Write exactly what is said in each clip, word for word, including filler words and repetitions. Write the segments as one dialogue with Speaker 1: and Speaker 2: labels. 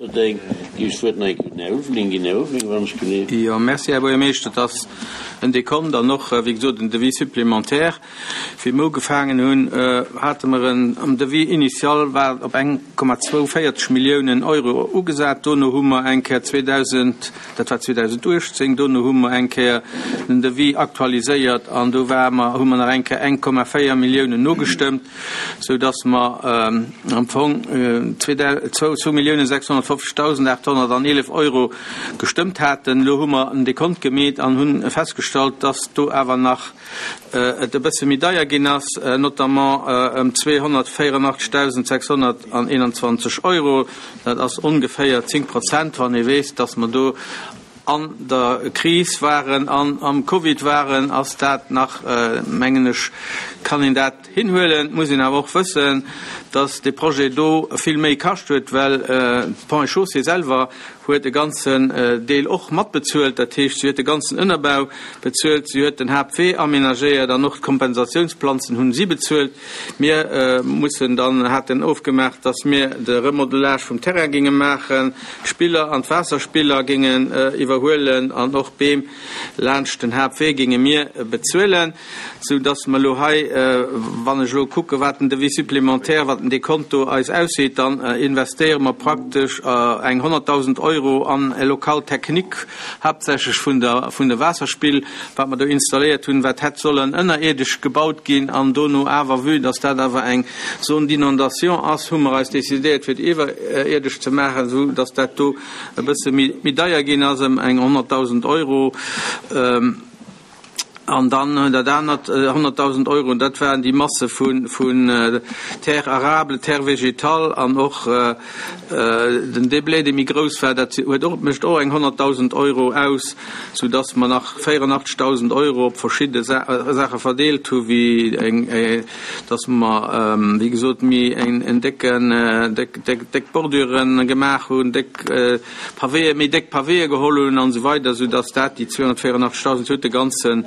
Speaker 1: Géif ech d'Wuert nach eng Kéier un den Här Ulveling ginn. Här Ulveling, wann ech geleeft.
Speaker 2: Jo, merci, Här Buergermeeschter. Et ass en Dekont an och, wéi gesot, en Devis supplémentaire. Wéi mer ugefaangen hunn, hate mer en, am Devis initial war op eng Komma zwouundvéierzeg Milliounen Euro ugesat. Dono hu mer eng Kéier zweedausend, dat war zweedausenduechtzéng, dono hu mer eng Kéier den Devis aktualiséiert an do ware mer, hu mer nach eng Kéier eng Komma véier Milliounen nogestëmmt, sou dass mer am Fong zwou Milliounen sechshonnertfofzegdausend aathonnerteneelef Euro gestëmmt haten. Elo hu mer en Dekont gemeet an hu festgestallt, dass do awer nach et e bësse méi deier ginn ass, notamment ëm zweehonnertvéierundachtzegdausend sechshonnerteenanzwanzeg Euro. Dat ass ongeféier zéng Prozent, wann ee weess, dass mer do an der Kris waren an am Covid waren, ass dat nach, mengen ech, kann een dat hinhuelen. Et muss een awer och wëssen, dass dee Projet do vill méi kascht huet, well d'Ponts et Chaussées selwer huet e ganzen Deel och matbezuelt. Dat heescht, si huet de ganzen Ënnerbau bezuelt, si huet den Haaptwee amenagéiert an och d'Kompensationsplanzen hunn si bezuelt. Mir mussen dann, haten ofgemaach, dass mir de Remodelage vum Terrain géinge maachen, d'Spiller an d'Waasserspiller géingen iwwerhuelen an och d'Beem laanscht den Haaptwee géinge mir bezuelen, sou dass mer elo hei, wann ech elo kucke wat den Devis supplémentaire, wat den Dekont do eis ausseet, dann investéiere mer praktesch eng honnertdausend Euro an e Local technique, haaptsächlech vun der vun de Waasserspill, wat mer do installéiert hunn, wat hätt sollen ënnerierdesch gebaut ginn an dono awer, vue dass dat awer eng Zone d'inondation ass, hu mer eis decidéiert fir et iwwerierdesch ze maachen, sou dass dat do e bësse méi méi deier ginn ass, ëm eng honnertdausend Euro. An dann dat anert, honnertdausend Euro, dat waren déi Masse vun Terre arable, Terre végétale an och den Déblai, dee méi grouss war, dat huet och, mécht och eng honnertdausend Euro aus, soudass mer nach véierundachtzegdausend Euro op verschidde Saache verdeelt hu wéi eng, dass mer, wéi gesot, méi en décken, déck, déck Bordüre gemaach hunn, déck Pavéë, méi déck Pavéë geholl hunn an esou weider, soudass dat déi zweehonnertvéierundachtzegdausend huet de ganzen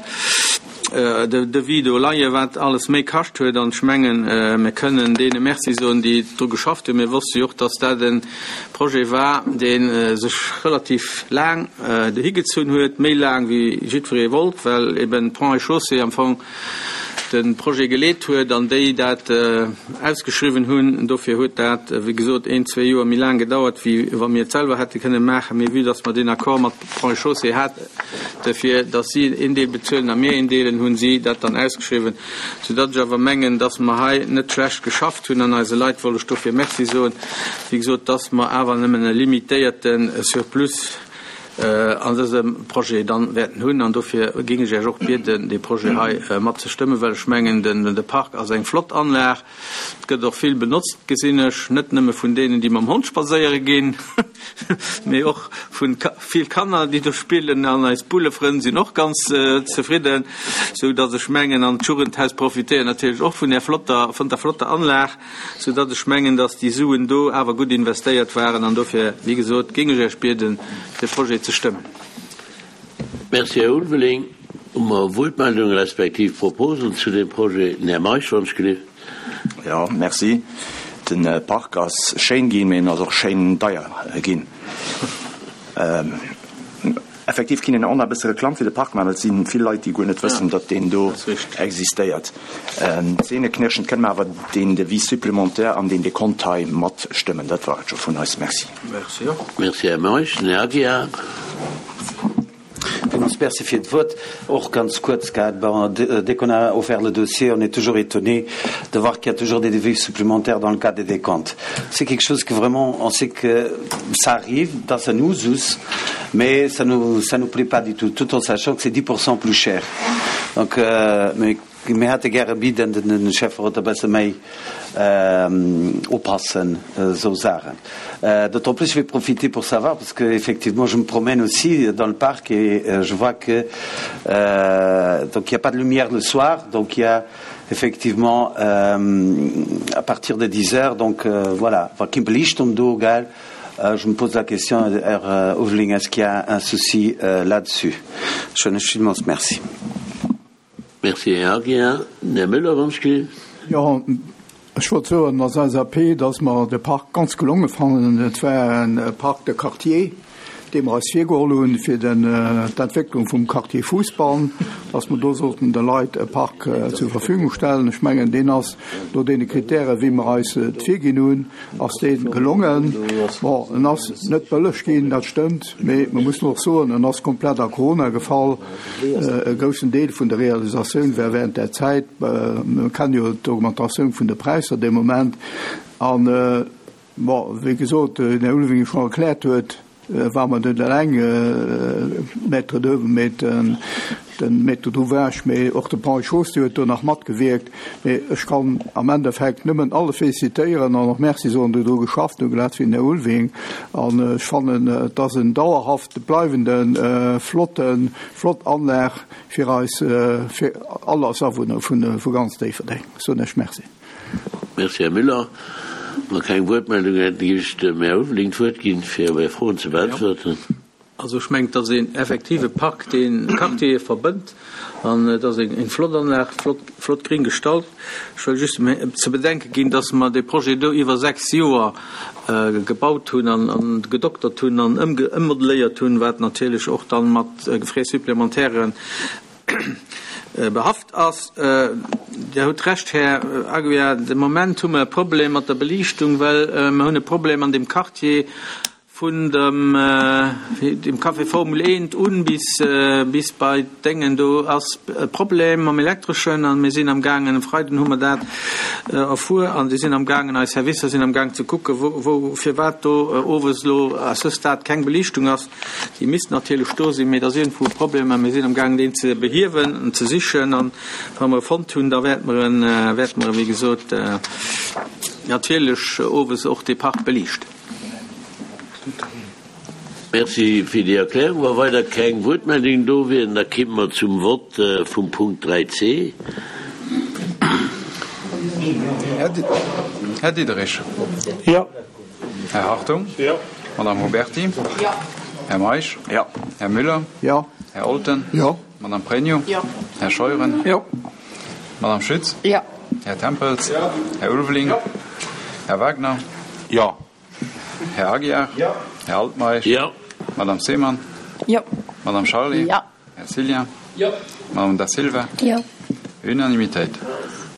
Speaker 2: Devis do leien, wat alles méi kascht huet. An ech mengen, mir kënnen deene Merci soen, déi dru geschafft hunn. Mir wosste jo och, dass dat e Projet war, dee sech relativ laang higezunn huet, méi laang wéi jiddweree wollt, well eben Ponts et Chaussées am Fong de Projet geleet huet an déi dat ausgeschriwwen hunn. Dofir huet dat, wéi gesot, een, zwee Joer méi laang gedauert, wéi wa mir et selwer hätte kënne maachen. Mee vue dass mer deen Accord mat Ponts et Chaussées hate fir dass si een Deel bezuelen a mir een Deel, hunn si dat dann ausgeschriwwen, soudatt ech awer mengen, dass mer hei net schlecht geschafft hunn. An eise Leit wollt ech dofir Merci soen, wéi gesot, dass mer awer nëmmen e limitéierte Surplus an dësem Projet dann wäerten hunn. An dofir géing ech Iech och bieden, dee Projet hei mat ze stëmmen, well ech mengen, den de Park ass eng flott Anlag. Et gëtt och vill benotzt, gesinn ech, net nëmme vun deenen, déi mam Hond spadséiere ginn, mee och vu vill Kanner, déi do spillen. An eis Bullefrënn sinn och ganz zefridden, sou datt ech mengen, an d'Jugendhaus profitéiert natierlech och vun där flotter, vun der flotter Anlag, sou datt ech mengen, datt déi Suen do awer gutt investéiert waren. An dofir, wéi gesot, géing ech Iech bieden, de Projet ze stëmmen.
Speaker 1: Merci, Här Ulveling. Hu mer Wuertmeldungen respektiv Proposen zu deem Projet? Den Här Meisch, wann ech gelift.
Speaker 3: Jo, merci. De Park ass schéin ginn, mee en ass och schéin deier ginn. Effektiv kinn een och nach e bësse Reklamm fir de Park maachen, well et si vill Leit, déi guer net wëssen, datt deen do existéiert. Zähneknirschend kënne mer awer deen Devis supplémentaire an deen Dekont hei matstëmmen. Dat war et scho vun eis. Merci.
Speaker 2: Merci och.
Speaker 1: Merci, Här Meisch. Den Här Aguiar.
Speaker 4: Villmools Merci fir d'Wuert. Och ganz kuerz gehat, bon, dès qu'on a offert le dossier, on est toujours étonné de voir qu'il y a toujours des devis supplémentaires dans le cadre des décomptes. C'est quelque chose que vraiment, on sait que ça arrive, dans un usus, mais ça nous, ça nous plaît pas du tout, tout en sachant que c'est dix pour cent plus cher. Donc, euh, mais mir hätte gäre bidden den Schäfferot e bësse méi oppassen esou Saachen. D'autant plus je vais profiter pour savoir, parce que effectivement je me promène aussi dans le parc et je vois que donc il y a pas de lumière le soir, donc il y a effectivement à partir de dix heures, donc voilà, wa keen Beliichtung do, gell, je me pose la question, Här Ulveling, est-ce qu'il y a un souci là-dessus? Schöne villmools Merci.
Speaker 1: Merci, Här Aguiar. Den Här Müller, wann ech gelift.
Speaker 5: Jo, Ech wollt soen als LSAP, dass mer de Park ganz gelonge fannen. Et war e Parc de quartier, dee mer eis virgeholl hunn fir d'Entwécklung vum Quartier Fousbann, dass mer do sollten de Leit e Park zur Verfügung stellen. Ech mengen, deen ass no deene Kritären, wéi mer eis et virginn hunn, ass dee gelongen. Bon, en ass net bëlleg ginn, dat stëmmt, mee mer mussen och soen, en ass komplett a Corona gefall. E groussen Deel vun der Realisatioun war während där Zäit. Mer kennen jo d'Augmentatioun vun de Präisser dee Moment. An, bon, wéi gesot, wéi den Här Ulveling scho erkläert huet, war mer net eleng Maître d'oeuvre, mee de Maître d'ouvrage, mee och de Paul Schoos, dee huet do nach matgewierkt. Mee ech kann am Endeffekt nëmmen alle félicitéieren an och Merci soen, déi dru geschafft hunn, grad wéi den Här Ulveling. An ech fannen, et ass en dauerhaft bleiwenden, flotten, flott Anlag fir eis, fir all eis Awunner vu ganz Déifferdeng. Soen ech Merci.
Speaker 1: Merci, Här Müller. Wa keng Wuertmeldung hätten, géif ech dem Här Ulveling d'Wuert ginn, fir Är Froen ze beäntwerten.
Speaker 2: Also ech mengen, et ass een effektive Park, dee Quartiere verbënnt an et ass eng flott Anlag, flott, flott gring gestalt. Ech wëll just ze bedenke ginn, dass mer dee Projet do iwwer sechs Joer gebaut hunn an gedoktert hunn an ëmmodelléiert hunn, wat natierlech och dann mat Frais supplémentaires behaft ass. Dir hutt Recht, Här Aguiar, de Moment hu mer e Problem mat der Beliichtung, well mer hunn e Problem an deem Quartier vun dem dem Café Formel eent un bis bis bei d'Déngen. Do ass e Problem mam Elektreschen a mir sinn amgaangen, e Freiden hu mer dat erfuer, an si sinn amgaangen, eis Servicer sinn amgaang ze kucken, wou wou firwat do owes elo à ce stade keng Beliichtung ass. Déi misst natierlech do sinn, mee et ass iergendwou e Problem a mir sinn amgaangen, deen ze behiewen an ze sichen. An wa mer e fonnt hunn, da wäerte mer en, wäerte mer e wéi gesot, natierlech owes och dee Park beliichten.
Speaker 1: Merci fir déi Erklärung. Wa weider keng Wuertmeldungen do wieren, da kimme mer zum Vott vum Punkt dräi c.
Speaker 6: Här Diderich.
Speaker 7: Jo.
Speaker 6: Här Hartung.
Speaker 7: Jo.
Speaker 6: Madame Huberty.
Speaker 8: Jo.
Speaker 6: Här Meisch.
Speaker 3: Jo.
Speaker 6: Här Müller.
Speaker 5: Jo.
Speaker 6: Här Olten.
Speaker 5: Jo.
Speaker 6: Madame Pregno.
Speaker 8: Jo.
Speaker 6: Här Scheuren.
Speaker 2: Jo.
Speaker 6: Madame Schütz.
Speaker 8: Jo.
Speaker 6: Här Tempels.
Speaker 7: Jo.
Speaker 6: Här Ulveling.
Speaker 7: Jo.
Speaker 6: Här Wagner.
Speaker 3: Jo.
Speaker 6: Här Aguiar.
Speaker 7: Jo.
Speaker 6: Här Altmeisch.
Speaker 1: Jo.
Speaker 6: Madame Seemann.
Speaker 8: Jo.
Speaker 6: Madame Charlé.
Speaker 8: Jo.
Speaker 6: Här Cillien.
Speaker 2: Jo.
Speaker 6: Madame Da Silva.
Speaker 8: Jo.
Speaker 6: Unanimitéit.